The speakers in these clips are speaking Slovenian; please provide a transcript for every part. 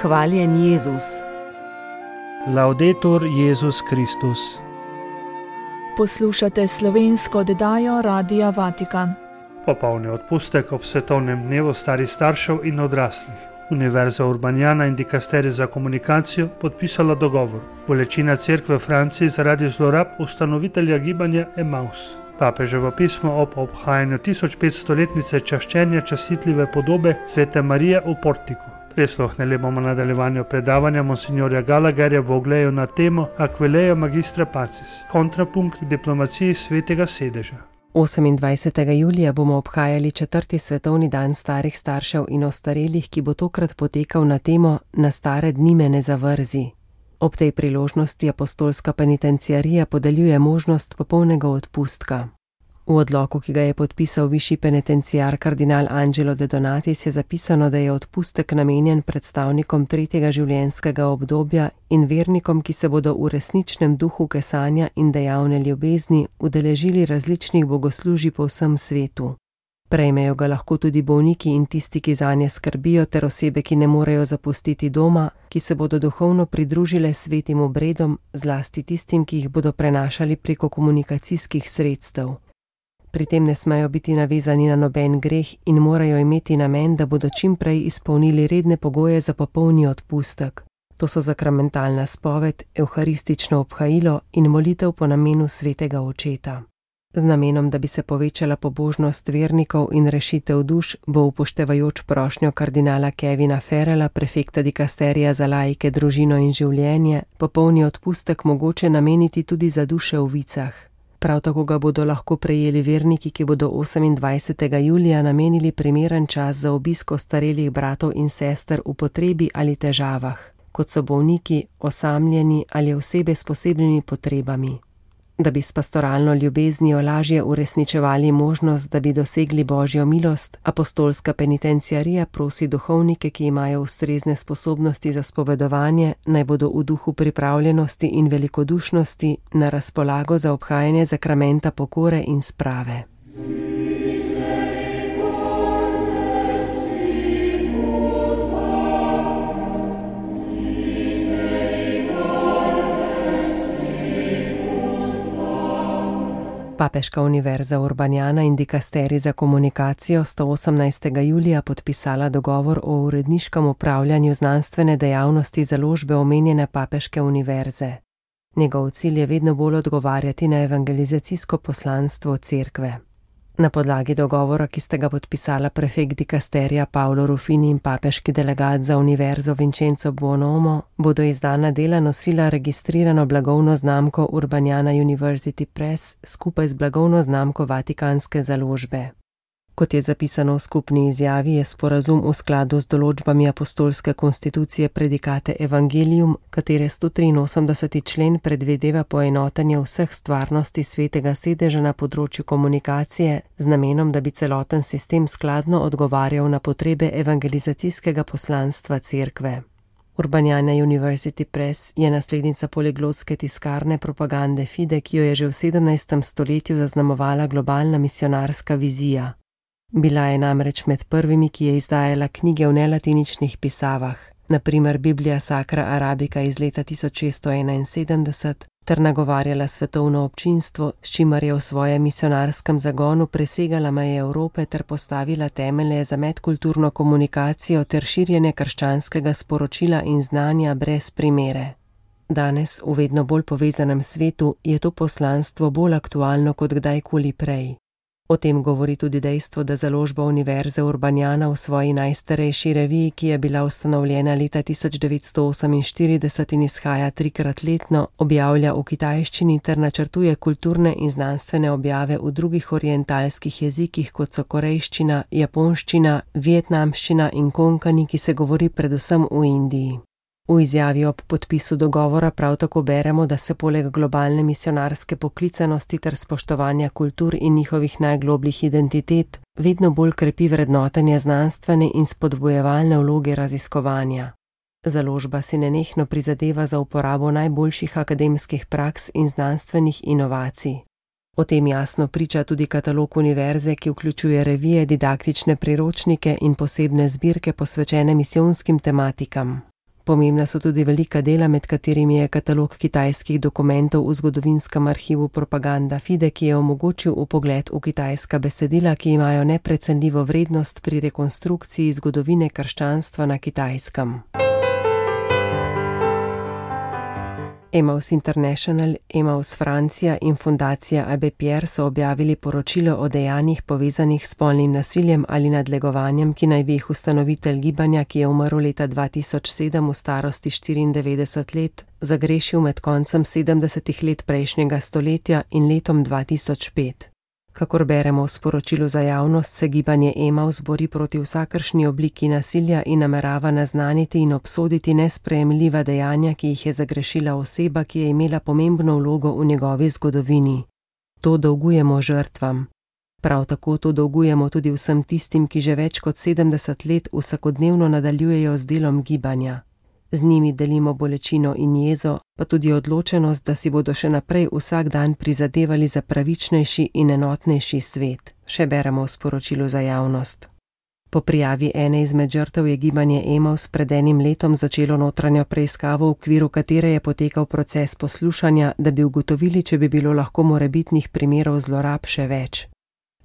Hvaljen Jezus. Laudetur Jezus Kristus. Poslušate slovensko oddajo Radia Vatikan. Popolni odpustek ob svetovnem dnevu starih staršev in odraslih. Univerza Urbaniana in Dikasterij za komunikacijo podpisala dogovor. Bolečina cerkve v Franciji zaradi zlorab ustanovitelja gibanja Emaus. Papeževo pismo ob obhajanju 1500-letnice čaščenja častitljive podobe svete Marije v Portiku. Prisluhnili bomo nadaljevanju predavanja monsignorja Gallagherja v Ogleju na temo Aquileia Magistra Pacis, kontrapunkt diplomaciji svetega sedeža. 28. julija bomo obhajali 4. svetovni dan starih staršev in ostarelih, ki bo tokrat potekal na temo Na stare dni me ne zavrzi. Ob tej priložnosti apostolska penitenciarija podeljuje možnost popolnega odpustka. V odloku, ki ga je podpisal višji penitenciar kardinal Angelo de Donatis, je zapisano, da je odpustek namenjen predstavnikom tretjega življenjskega obdobja in vernikom, ki se bodo v resničnem duhu kesanja in dejavne ljubezni udeležili različnih bogoslužij po vsem svetu. Prejmejo ga lahko tudi bolniki in tisti, ki zanje skrbijo, ter osebe, ki ne morejo zapustiti doma, ki se bodo duhovno pridružile svetim obredom, zlasti tistim, ki jih bodo prenašali preko komunikacijskih sredstev. Pri tem ne smejo biti navezani na noben greh in morajo imeti namen, da bodo čim prej izpolnili redne pogoje za popolni odpustek. To so sakramentalna spoved, evharistično obhajilo in molitev po namenu svetega očeta. Z namenom, da bi se povečala pobožnost vernikov in rešitev duš, bo upoštevajoč prošnjo kardinala Kevina Farrella, prefekta dikasterija za laike, družino in življenje, popolni odpustek mogoče nameniti tudi za duše v vicah. Prav tako ga bodo lahko prejeli verniki, ki bodo 28. julija namenili primeren čas za obisk ostarelih bratov in sester v potrebi ali težavah, kot so bolniki, osamljeni ali osebe s posebnimi potrebami. Da bi s pastoralno ljubeznijo lažje uresničevali možnost, da bi dosegli Božjo milost, apostolska penitenciarija prosi duhovnike, ki imajo ustrezne sposobnosti za spovedovanje, naj bodo v duhu pripravljenosti in velikodušnosti na razpolago za obhajanje zakramenta pokore in sprave. Papeška univerza Urbaniana in Dikasterij za komunikacijo sta 18. julija podpisala dogovor o uredniškem upravljanju znanstvene dejavnosti založbe omenjene papeške univerze. Njegov cilj je vedno bolj odgovarjati na evangelizacijsko poslanstvo cerkve. Na podlagi dogovora, ki sta ga podpisala prefekt dikasterija Paolo Ruffini in papeški delegat za univerzo Vincenzo Buonomo, bodo izdana dela nosila registrirano blagovno znamko Urbaniana University Press skupaj z blagovno znamko Vatikanske založbe. Kot je zapisano v skupni izjavi, je sporazum v skladu z določbami apostolske konstitucije Predikate Evangelium, katere 183. člen predvideva poenotenje vseh stvarnosti svetega sedeža na področju komunikacije z namenom, da bi celoten sistem skladno odgovarjal na potrebe evangelizacijskega poslanstva cerkve. Urbaniana University Press je naslednica poliglotske tiskarne propagande Fide, ki jo je že v 17. stoletju zaznamovala globalna misionarska vizija. Bila je namreč med prvimi, ki je izdajala knjige v nelatiničnih pisavah, na primer Biblija Sacra Arabica iz leta 1671, ter nagovarjala svetovno občinstvo, s čimer je v svojem misionarskem zagonu presegala meje Evrope ter postavila temelje za medkulturno komunikacijo ter širjenje krščanskega sporočila in znanja brez primere. Danes, v vedno bolj povezanem svetu, je to poslanstvo bolj aktualno kot kdajkoli prej. O tem govori tudi dejstvo, da založba Univerze Urbaniana v svoji najstarejši reviji, ki je bila ustanovljena leta 1948 in izhaja 3-krat letno, objavlja v kitajščini ter načrtuje kulturne in znanstvene objave v drugih orientalskih jezikih, kot so korejščina, japonščina, vietnamščina in konkani, ki se govori predvsem v Indiji. V izjavi ob podpisu dogovora prav tako beremo, da se poleg globalne misionarske poklicanosti ter spoštovanja kultur in njihovih najglobljih identitet vedno bolj krepi vrednotenje znanstvene in spodbujevalne vloge raziskovanja. Založba si nenehno prizadeva za uporabo najboljših akademskih praks in znanstvenih inovacij. O tem jasno priča tudi katalog univerze, ki vključuje revije, didaktične priročnike in posebne zbirke posvečene misijonskim tematikam. Pomembna so tudi velika dela, med katerimi je katalog kitajskih dokumentov v zgodovinskem arhivu Propaganda Fide, ki je omogočil vpogled v kitajska besedila, ki imajo neprecenljivo vrednost pri rekonstrukciji zgodovine krščanstva na Kitajskem. Emmaus International, Emmaus Francija in fundacija Abbé Pierre so objavili poročilo o dejanjih povezanih s spolnim nasiljem ali nadlegovanjem, ki naj bi jih ustanovitelj gibanja, ki je umrl leta 2007 v starosti 94 let, zagrešil med koncem 70 let prejšnjega stoletja in letom 2005. Kakor beremo v sporočilu za javnost, se gibanje Emmaus bori proti vsakršni obliki nasilja in namerava naznaniti in obsoditi nesprejemljiva dejanja, ki jih je zagrešila oseba, ki je imela pomembno vlogo v njegovi zgodovini. To dolgujemo žrtvam. Prav tako to dolgujemo tudi vsem tistim, ki že več kot 70 let vsakodnevno nadaljujejo z delom gibanja. Z njimi delimo bolečino in jezo, pa tudi odločenost, da si bodo še naprej vsak dan prizadevali za pravičnejši in enotnejši svet, še beremo v sporočilu za javnost. Po prijavi ene izmed žrtev je gibanje Emmaus pred enim letom začelo notranjo preiskavo, v okviru katere je potekal proces poslušanja, da bi ugotovili, če bi bilo lahko morebitnih primerov zlorab še več.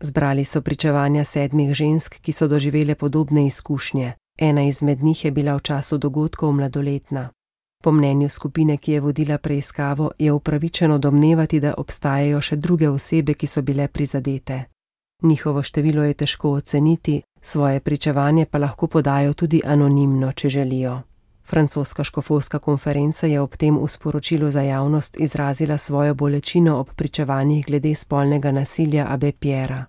Zbrali so pričevanja 7 žensk, ki so doživele podobne izkušnje. Ena izmed njih je bila v času dogodkov mladoletna. Po mnenju skupine, ki je vodila preiskavo, je upravičeno domnevati, da obstajajo še druge osebe, ki so bile prizadete. Njihovo število je težko oceniti, svoje pričevanje pa lahko podajo tudi anonimno, če želijo. Francoska škofovska konferenca je ob tem v sporočilu za javnost izrazila svojo bolečino ob pričevanjih glede spolnega nasilja Abbé Pierra.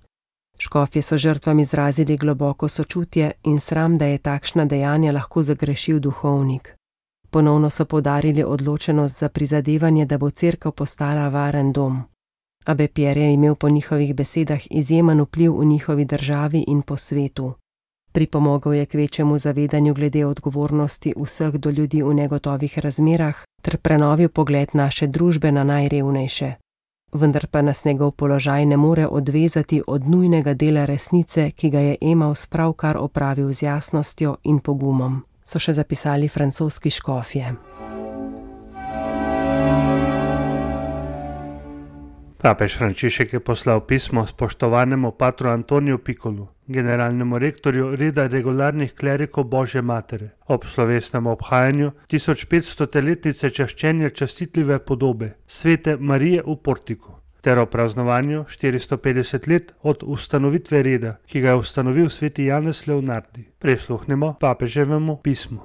Škofje so žrtvam izrazili globoko sočutje in sram, da je takšna dejanja lahko zagrešil duhovnik. Ponovno so poudarili odločenost za prizadevanje, da bo cerkev postala varen dom. Abbé Pierre je imel po njihovih besedah izjemen vpliv v njihovi državi in po svetu. Pripomogel je k večjemu zavedanju glede odgovornosti vseh do ljudi v negotovih razmerah ter prenovil pogled naše družbe na najrevnejše. Vendar pa nas njegov položaj ne more odvezati od nujnega dela resnice, ki ga je Emmaus pravkar opravil z jasnostjo in pogumom, so še zapisali francoski škofje. Papež Frančišek je poslal pismo spoštovanemu patru Antoniju Pikolu, generalnemu rektorju reda regularnih klerikov Božje matere, ob slovesnem obhajanju 1500-letnice čaščenja častitljive podobe svete Marije v Portiku, ter o praznovanju 450 let od ustanovitve reda, ki ga je ustanovil sveti Janez Leonardi. Prisluhnimo papeževemu pismu.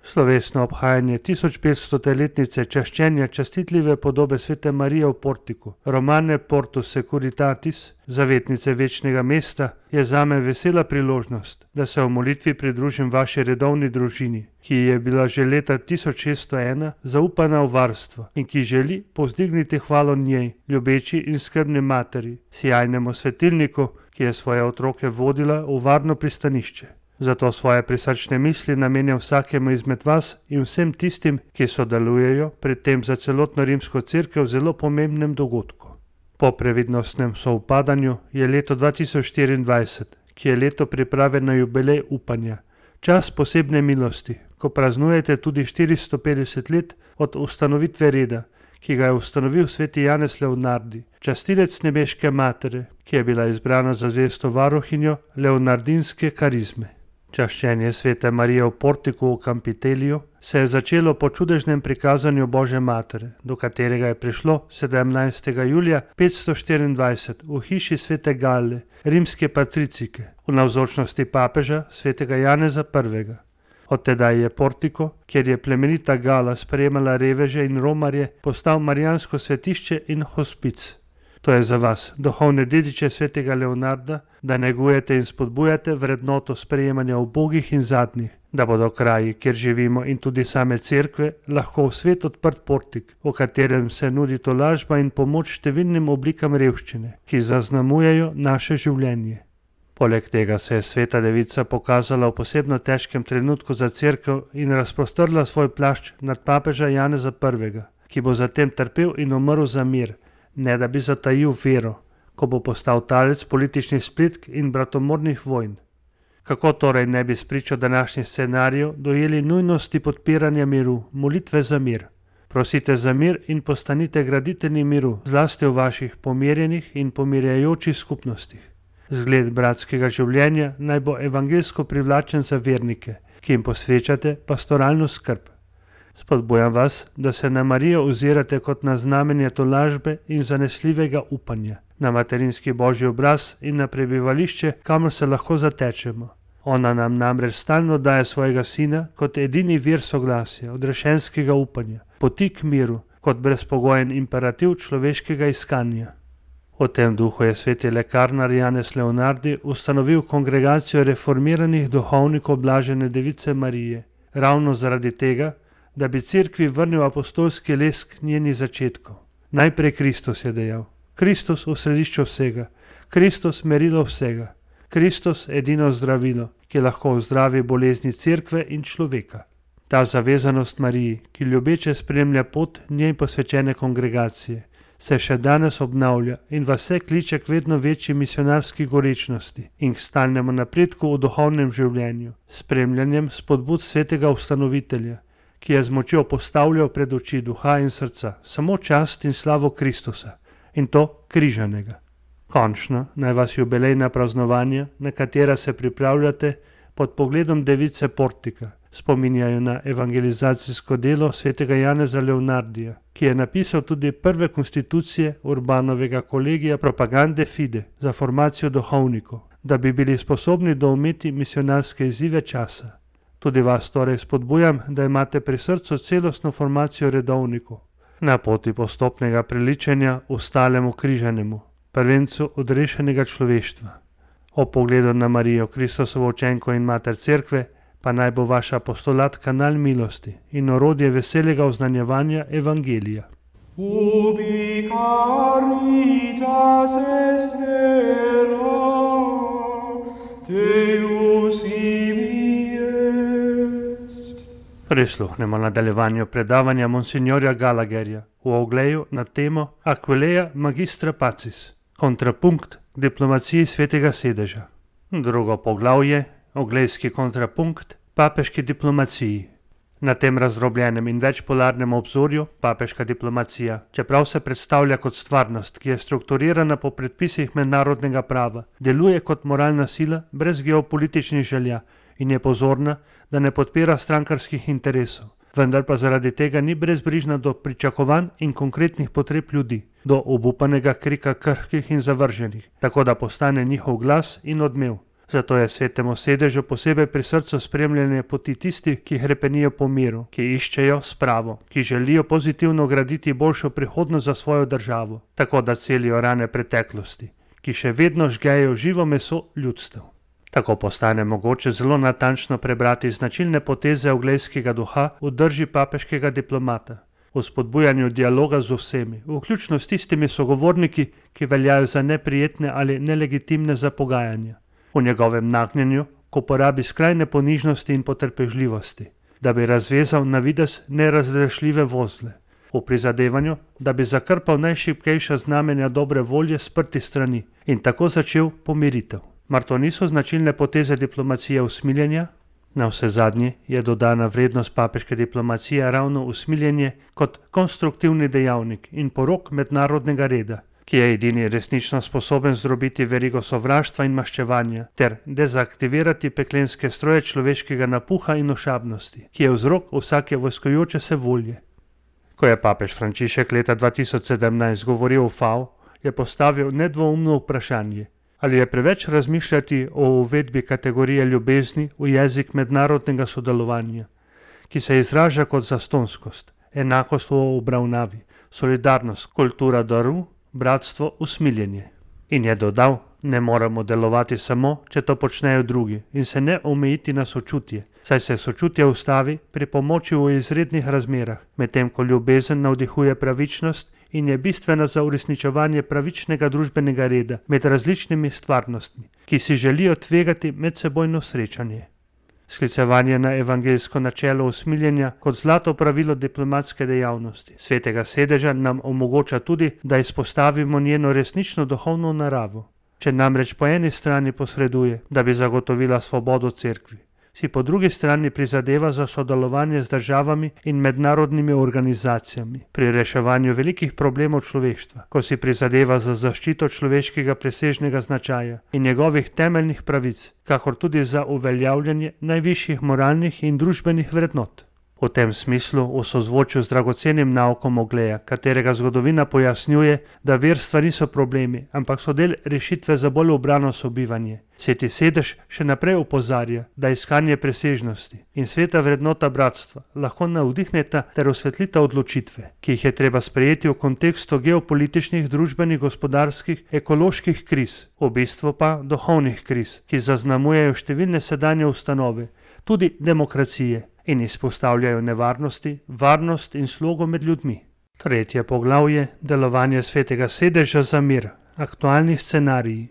Slovesno obhajanje 1500-letnice čaščenja častitljive podobe svete Marije v Portiku, Romane Portus Securitatis, zavetnice večnega mesta, je zame vesela priložnost, da se v molitvi pridružim vaši redovni družini, ki je bila že leta 1601 zaupana v varstvo in ki želi povzdigniti hvalo njej, ljubeči in skrbni materi, sijajnemu svetilniku, ki je svoje otroke vodila v varno pristanišče. Zato svoje prisrčne misli namenjam vsakemu izmed vas in vsem tistim, ki sodelujejo pri tem za celotno rimsko cerkev zelo pomembnem dogodku. Po previdnostnem sovpadanju je leto 2024, ki je leto priprave na jubilej upanja, čas posebne milosti, ko praznujete tudi 450 let od ustanovitve reda, ki ga je ustanovil sveti Janez Leonardi, častilec nebeške matere, ki je bila izbrana za zvesto varuhinjo leonardinske karizme. Čaščenje svete Marije v Portiku v Campiteliju se je začelo po čudežnem prikazanju Božje matere, do katerega je prišlo 17. julija 524 v hiši svete Gale, rimske patricike, v navzočnosti papeža svetega Janeza I. Od tedaj je Portiko, kjer je plemenita Gala sprejemala reveže in romarje, postal marijansko svetišče in hospic. To je za vas, duhovne dediče svetega Leonarda, da negujete in spodbujate vrednoto sprejemanja ubogih in zadnjih, da bodo kraji, kjer živimo in tudi same cerkve, lahko v svet odprt portik, v katerem se nudi tolažba in pomoč številnim oblikam revščine, ki zaznamujejo naše življenje. Poleg tega se je sveta devica pokazala v posebno težkem trenutku za cerkev in razprostrla svoj plašč nad papeža Janeza I., ki bo zatem trpel in umrl za mir, ne da bi zatajil vero, ko bo postal talec političnih splitk in bratomornih vojn. Kako torej ne bi spričo današnjih scenarijev dojeli nujnosti podpiranja miru, molitve za mir? Prosite za mir in postanite graditelji miru, zlasti v vaših pomirjenih in pomirjajočih skupnostih. Zgled bratskega življenja naj bo evangelsko privlačen za vernike, ki jim posvečate pastoralno skrb. Spodbujam vas, da se na Marijo ozirate kot na znamenje tolažbe in zanesljivega upanja, na materinski božji obraz in na prebivališče, kamor se lahko zatečemo. Ona nam namreč stalno daje svojega sina kot edini vir soglasja, odrešenskega upanja, poti k miru, kot brezpogojen imperativ človeškega iskanja. V tem duhu je sveti lekarnar Janez Leonardi ustanovil kongregacijo reformiranih duhovnikov Blažene Device Marije, ravno zaradi tega, da bi cerkvi vrnil apostolski lesk njenih začetkov. Najprej Kristus, je dejal. Kristus v središču vsega. Kristus merilo vsega. Kristus edino zdravilo, ki lahko ozdravi bolezni cerkve in človeka. Ta zavezanost Mariji, ki ljubeče spremlja pot njej posvečene kongregacije, se še danes obnavlja in vas vse kliče k vedno večji misionarski gorečnosti in k stalnemu napredku v duhovnem življenju, spremljanjem spodbud svetega ustanovitelja, ki je z močjo postavljal pred oči duha in srca samo čast in slavo Kristusa, in to križanega. Končno naj vas jubilejna praznovanja, na katera se pripravljate pod pogledom device Portika, spominjajo na evangelizacijsko delo svetega Janeza Leonardija, ki je napisal tudi prve konstitucije Urbanovega kolegija Propagande Fide za formacijo duhovnikov, da bi bili sposobni doumeti misionarske izzive časa. Tudi vas torej spodbujam, da imate pri srcu celostno formacijo redovnikov, na poti postopnega priličenja ustalemu križanemu, prvencu odrešenega človeštva. O pogledu na Marijo, Kristusovo učenko in mater cerkve, pa naj bo vaš apostolat kanal milosti in orodje veselega oznanjevanja evangelija. Ubi caritas est vera, Deus ibi est. Prisluhnemo nadaljevanju predavanja monsignorja Gallagherja v ogleju na temo Aquileia magistra pacis, kontrapunkt k diplomaciji svetega sedeža. Drugo poglavje, oglejski kontrapunkt papeški diplomaciji. Na tem razdrobljenem in večpolarnem obzorju papeška diplomacija, čeprav se predstavlja kot stvarnost, ki je strukturirana po predpisih mednarodnega prava, deluje kot moralna sila brez geopolitičnih želja in je pozorna, da ne podpira strankarskih interesov, vendar pa zaradi tega ni brezbrižna do pričakovanj in konkretnih potreb ljudi, do obupanega krika krhkih in zavrženih, tako da postane njihov glas in odmev. Zato je svetemu sedežu posebej pri srcu spremljanje poti tistih, ki hrepenijo po miru, ki iščejo spravo, ki želijo pozitivno graditi boljšo prihodnost za svojo državo, tako da celijo rane preteklosti, ki še vedno žgejo živo meso ljudstev. Tako postane mogoče zelo natančno prebrati značilne poteze oglejskega duha v drži papeškega diplomata, v spodbujanju dialoga z vsemi, vključno s tistimi sogovorniki, ki veljajo za neprijetne ali nelegitimne za pogajanja. V njegovem nagnjenju k uporabi skrajne ponižnosti in potrpežljivosti, da bi razvezal na videz nerazrešljive vozle, v prizadevanju, da bi zakrpal najšibkejša znamenja dobre volje sprti strani in tako začel pomiritev. Mar to niso značilne poteze diplomacije usmiljenja? Navsezadnje je dodana vrednost papeške diplomacije ravno usmiljenje kot konstruktivni dejavnik in porok mednarodnega reda, ki je edini resnično sposoben zdrobiti verigo sovraštva in maščevanja ter dezaktivirati peklenske stroje človeškega napuha in ošabnosti, ki je vzrok vsake vojskujoče se volje. Ko je papež Frančišek leta 2017 govoril o FAO, je postavil nedvoumno vprašanje, ali je preveč razmišljati o uvedbi kategorije ljubezni v jezik mednarodnega sodelovanja, ki se izraža kot zastonskost, enakost v obravnavi, solidarnost, kultura daru, bratstvo, usmiljenje. In je dodal, ne moramo delovati samo, če to počnejo drugi in se ne omejiti na sočutje, saj se sočutje ustavi pri pomoči v izrednih razmerah, medtem ko ljubezen navdihuje pravičnost in je bistvena za uresničevanje pravičnega družbenega reda med različnimi stvarnostmi, ki si želijo tvegati medsebojno srečanje. Sklicevanje na evangeljsko načelo usmiljenja kot zlato pravilo diplomatske dejavnosti svetega sedeža nam omogoča tudi, da izpostavimo njeno resnično duhovno naravo. Če namreč po eni strani posreduje, da bi zagotovila svobodo cerkvi, si po drugi strani prizadeva za sodelovanje z državami in mednarodnimi organizacijami pri reševanju velikih problemov človeštva, ko si prizadeva za zaščito človeškega presežnega značaja in njegovih temeljnih pravic, kakor tudi za uveljavljanje najvišjih moralnih in družbenih vrednot. V tem smislu, v sozvočju z dragocenim naukom Ogleja, katerega zgodovina pojasnjuje, da verstva niso problemi, ampak so del rešitve za bolj ubrano sobivanje, Sveti Sedež še naprej opozarja, da iskanje presežnosti in sveta vrednota bratstva lahko navdihneta ter osvetlita odločitve, ki jih je treba sprejeti v kontekstu geopolitičnih, družbenih, gospodarskih, ekoloških kriz, v bistvu pa duhovnih kriz, ki zaznamujejo številne sedanje ustanove, tudi demokracije, in izpostavljajo nevarnosti, varnost in slogo med ljudmi. Tretje poglavje, delovanje Svetega Sedeža za mir, aktualni scenariji.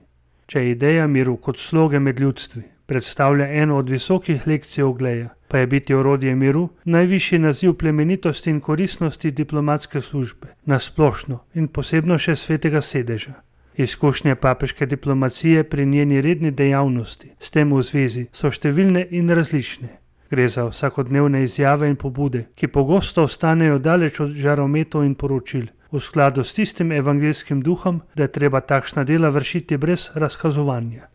Če ideja miru kot sloge med ljudstvi predstavlja eno od visokih lekcij Ogleja, pa je biti orodje miru najvišji naziv plemenitosti in koristnosti diplomatske službe, nasplošno in posebno še Svetega Sedeža. Izkušnje papeške diplomacije pri njeni redni dejavnosti s tem v zvezi so številne in različne. Gre za vsakodnevne izjave in pobude, ki pogosto ostanejo daleč od žarometov in poročil, v skladu s tistim evangeljskim duhom, da je treba takšna dela vršiti brez razkazovanja.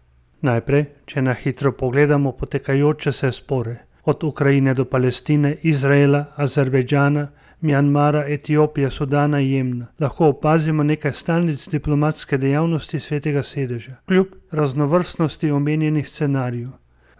Najprej, če na hitro pogledamo potekajoče se spore, od Ukrajine do Palestine, Izraela, Azerbejdžana, Mjanmara, Etiopije, Sudana in Jemna, lahko opazimo nekaj stalnic diplomatske dejavnosti Svetega Sedeža, kljub raznovrstnosti omenjenih scenarijev.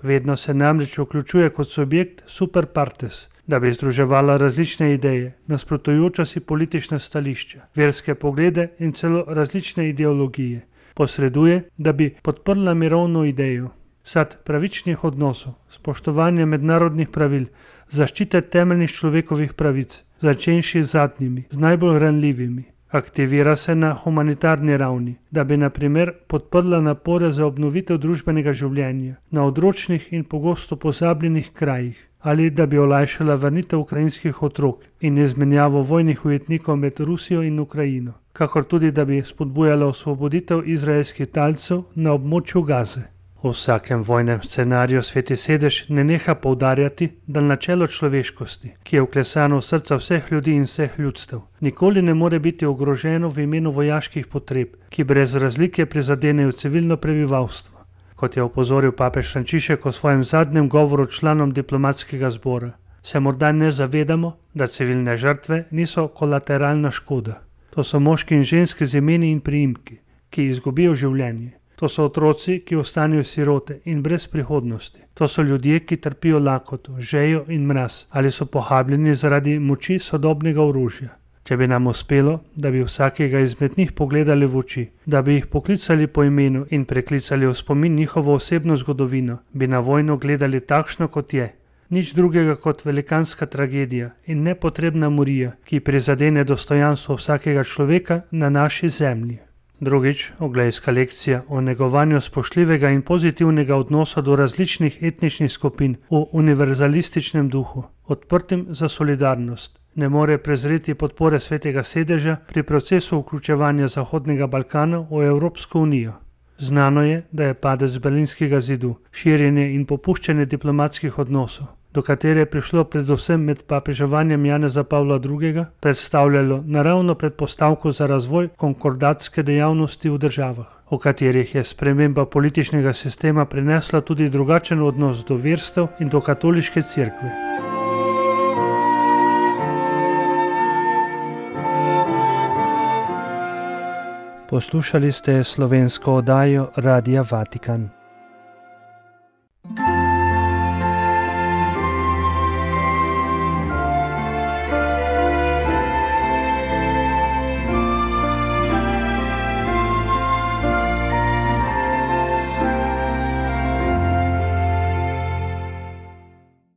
Vedno se namreč vključuje kot subjekt super partes, da bi združevala različne ideje, nasprotujoča si politična stališča, verske poglede in celo različne ideologije. Posreduje, da bi podprla mirovno idejo, sad pravičnih odnosov, spoštovanje mednarodnih pravil, zaščite temeljnih človekovih pravic, začenši z zadnjimi, z najbolj ranljivimi. Aktivira se na humanitarni ravni, da bi na primer podprla napore za obnovitev družbenega življenja na odročnih in pogosto pozabljenih krajih, ali da bi olajšala vrnitev ukrajinskih otrok in izmenjavo vojnih ujetnikov med Rusijo in Ukrajino, kakor tudi da bi spodbujala osvoboditev izraelskih talcev na območju Gaze. V vsakem vojnem scenariju Sveti Sedež ne neha poudarjati, da načelo človeškosti, ki je vklesano v srca vseh ljudi in vseh ljudstev, nikoli ne more biti ogroženo v imenu vojaških potreb, ki brez razlike prizadenejo civilno prebivalstvo. Kot je opozoril papež Frančišek v svojem zadnjem govoru članom diplomatskega zbora, se morda ne zavedamo, da civilne žrtve niso kolateralna škoda. To so moški in ženske z imeni in priimki, ki izgubijo življenje. To so otroci, ki ostanejo sirote in brez prihodnosti. To so ljudje, ki trpijo lakoto, žejo in mraz ali so pohabljeni zaradi moči sodobnega orožja. Če bi nam uspelo, da bi vsakega izmed njih pogledali v oči, da bi jih poklicali po imenu in preklicali v spomin njihovo osebno zgodovino, bi na vojno gledali takšno, kot je. Nič drugega kot velikanska tragedija in nepotrebna morija, ki prizadene dostojanstvo vsakega človeka na naši zemlji. Drugič, oglejska lekcija o negovanju spoštljivega in pozitivnega odnosa do različnih etničnih skupin v univerzalističnem duhu, odprtim za solidarnost, ne more prezreti podpore Svetega Sedeža pri procesu vključevanja Zahodnega Balkana v Evropsko unijo. Znano je, da je padec Berlinskega zidu, širjenje in popuščanje diplomatskih odnosov, do katere je prišlo predvsem med papeževanjem Janeza Pavla II., predstavljalo naravno predpostavko za razvoj konkordatske dejavnosti v državah, v katerih je sprememba političnega sistema prinesla tudi drugačen odnos do verstev in do katoliške cerkve. Poslušali ste slovensko oddajo Radia Vatikan.